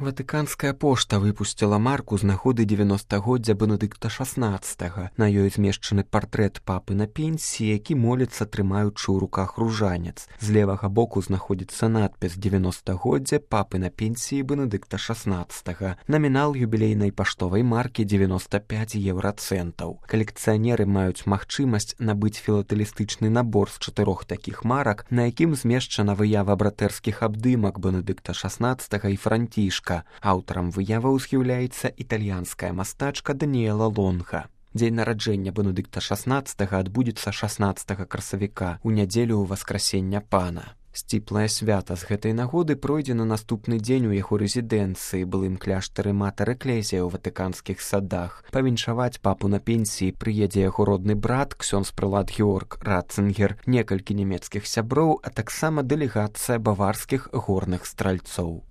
Ватыканская пошта выпусціла марку з нагоды 90-годдзя Бенедыкта XVI. На ёй змешчаны партрэт папы на пенсіі, які моліцца, трымаючы ў руках ружанец. З левага боку знаходзіцца надпіс «90-годдзя папы на пенсіі Бенедыкта XVI». Намінал юбілейнай паштовай маркі 95 еўрацэнтаў. Калекцыянеры маюць магчымасць набыць філатэлістычны набор з 4 такіх марак, на якім змешчана выява братэрскіх абдымак Бенедыкта XVI і Францішка. Аўтарам выяваў з'яўляецца італьянская мастачка Даніэла Лонга. Дзень нараджэння Бенедыкта XVI адбудзецца 16 красавіка, у нядзелю Васкрасення Пана. Сціплае свята з гэтай нагоды пройдзе на наступны дзень у яго рэзідэнцыі, былым кляштары Матэр Экклезія ў ватыканскіх садах. Павіншаваць папу на пенсіі прыедзе яго родны брат, ксёндз-прылад Георг Ратцингер, некалькі нямецкіх сяброў, а таксама дэлегацыя баварскіх горных стральцоў.